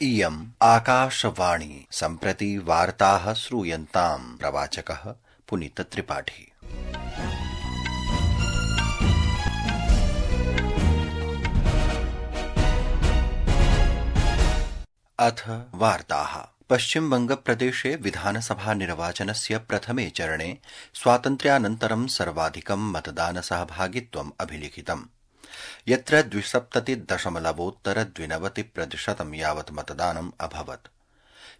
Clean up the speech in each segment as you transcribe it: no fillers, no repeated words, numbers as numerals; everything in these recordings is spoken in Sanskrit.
इयम् आकाशवाणी सम्प्रति वार्ताः श्रूयन्ताम् प्रवाचकः पुनीतत्रिपाठी। अथ वार्ताः। पश्चिमबंगप्रदेशे विधानसभा निर्वाचनस्य प्रथमे चरणे स्वातन्त्र्यानन्तरं सर्वाधिकं मतदानसहभागित्वम् अभिलिखितम्, यत्र 72.92% यावत् मतदानम् अभवत्।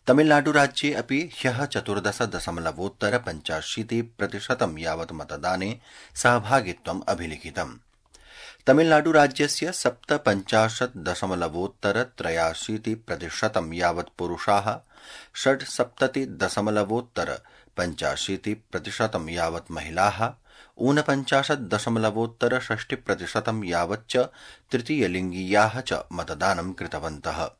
तमिलनाडुराज्ये अपि ह्यः 14.85% यावत् मतदाने सहभागित्वम् अभिलिखितम्। तमिलनाडुराज्यस्य 57.83% यावत् पुरुषाः, 67.85% यावत् महिलाः, 49.60% यावच्च तृतीयलिङ्गीयाः च मतदानं कृतवन्तः।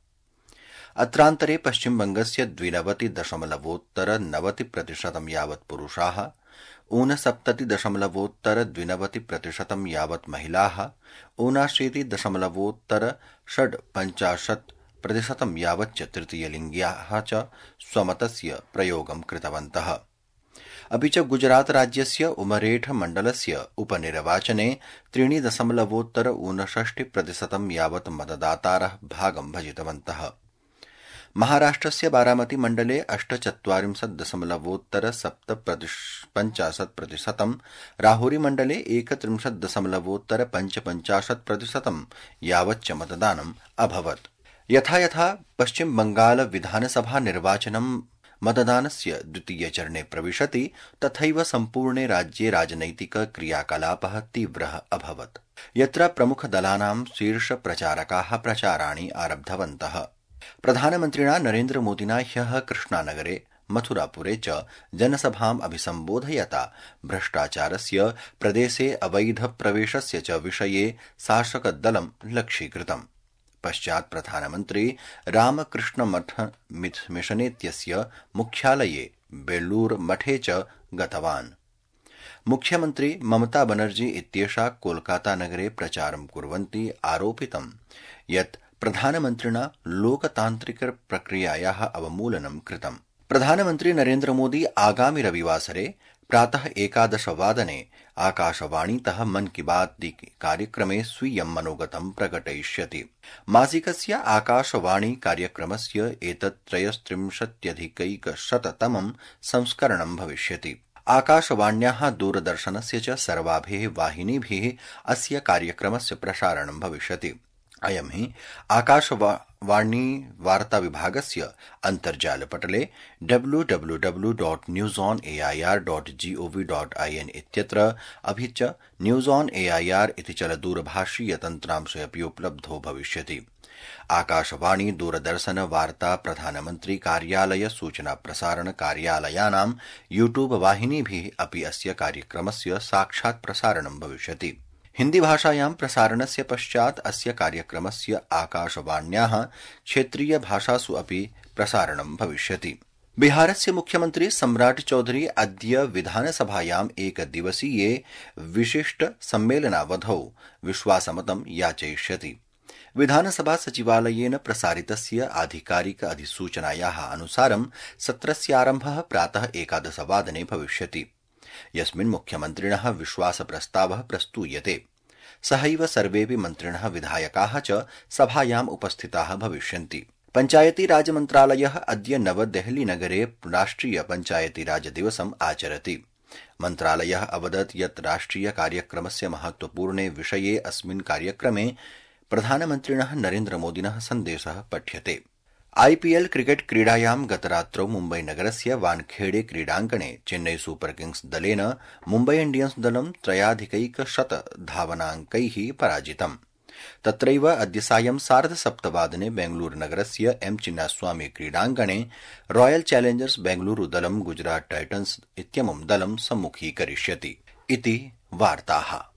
अत्रान्तरे पश्चिमबंगस्य 92.90% यावत् पुरुषाः, 69.92% यावत् महिलाः, 79.6% यावच्च तृतीयलिङ्ग्याः च स्वमतस्य प्रयोगं कृतवन्तः। अपि च गुजरात राज्यस्य उमरेठ मण्डलस्य उपनिर्वाचने 3.59% यावत् मतदातारः भागं भजितवन्तः। महाराष्ट्रस्य बारामती मण्डले 48.750%, राहुरी मण्डले 31.55% यावच्च मतदानम् अभवत्। यथा यथा पश्चिम बंगाल विधानसभा निर्वाचनं मतदानस्य द्वितीयचरणे प्रविशति, तथैव सम्पूर्णे राज्ये राजनैतिक क्रियाकलापः तीव्रः अभवत्, यत्र प्रमुखदलानां शीर्षप्रचारकाः प्रचाराणि आरब्धवन्तः। प्रधानमन्त्रिणा नरेन्द्रमोदिना ह्यः कृष्णानगरे, मथुरापुरे च जनसभाम् अभिसम्बोधयता भ्रष्टाचारस्य, प्रदेशे अवैधप्रवेशस्य च विषये शासकदलं लक्ष्यीकृतम्। पश्चात् प्रधानमन्त्री रामकृष्णमठ मिशनेत्यस्य मुख्यालये बेल्लूरमठे च गतवान्। मुख्यमन्त्री ममता बनर्जी इत्येषा कोलकातानगरे प्रचारं कुर्वन्ती आरोपितं यत् प्रधानमन्त्रिणा लोकतान्त्रिकप्रक्रियायाः अवमूलनं कृतम्। प्रधानमन्त्री नरेन्द्रमोदी आगामि रविवासरे प्रातः 11 वादने आकाशवाणीतः मन की बात कार्यक्रमे स्वीयं मनोगतं प्रकटयिष्यति। मासिकस्य आकाशवाणी कार्यक्रमस्य एतत् 33+100तमं संस्करणं भविष्यति। आकाशवाण्याः दूरदर्शनस्य च सर्वाभिः वाहिनीभिः अस्य कार्यक्रमस्य प्रसारणं भविष्यति। अयं हि आकाशवाणी वार्ताविभागस्य अन्तर्जालपटले www.newsonair.gov.in इत्यत्र, अपि च न्यूज ऑन एआईआर इति चलदूरभाषीयतन्त्रांशे अपि उपलब्धो भविष्यति। आकाशवाणी, दूरदर्शन, वार्ता, प्रधानमन्त्री कार्यालय, सूचना प्रसारण कार्यालयानां यूट्यूब वाहिनीभिः अपि अस्य कार्यक्रमस्य साक्षात् प्रसारणं भविष्यति। हिन्दी भाषायां प्रसारणस्य पश्चात् अस्य कार्यक्रमस्य आकाशवाण्याः क्षेत्रीय भाषासु अपि प्रसारणं भविष्यति। बिहारस्य मुख्यमन्त्री सम्राट चौधरी अद्य विधानसभायाम् एकदिवसीये विशिष्ट सम्मेलनावधौ विश्वासमतं याचयिष्यति। विधानसभा सचिवालयेन प्रसारितस्य आधिकारिक अधिसूचनायाः अनुसारं सत्रस्यारम्भः प्रातः 11 वादने भविष्यति, यस्मिन् मुख्यमन्त्रिणः विश्वासप्रस्तावः प्रस्तूयते। सहैव सर्वेऽपि मन्त्रिणः, विधायकाः च सभायाम् उपस्थिताः भविष्यन्ति। पञ्चायती राज मन्त्रालयः अद्य नवदेहलीनगरे राष्ट्रिय पञ्चायती राज दिवसम् आचरति। मन्त्रालयः अवदत् यत् राष्ट्रिय कार्यक्रमस्य महत्वपूर्णे विषये अस्मिन् कार्यक्रमे प्रधानमन्त्रिणः नरेन्द्रमोदिनः सन्देशः पठ्यते। आईपीएल क्रिकेट क्रीडायां गतरात्रौ मुम्बईनगरस्य वानखेड़े क्रीडाङ्गणे चेन्नई सुपर किंग्स दलेन मुम्बई इंडियन्स दलं 3.100 धावनाङ्कैः पराजितम्। तत्रैव अद्य सायं 7:30 वादने बेंगलूरुनगरस्य एम चिन्नास्वामी क्रीडाङ्गणे रॉयल चैलेंजर्स बेंगलूरु दलं गुजरात टाइटन्स इत्यमुं दलं सम्मुखीकरिष्यति। इति वार्ताः।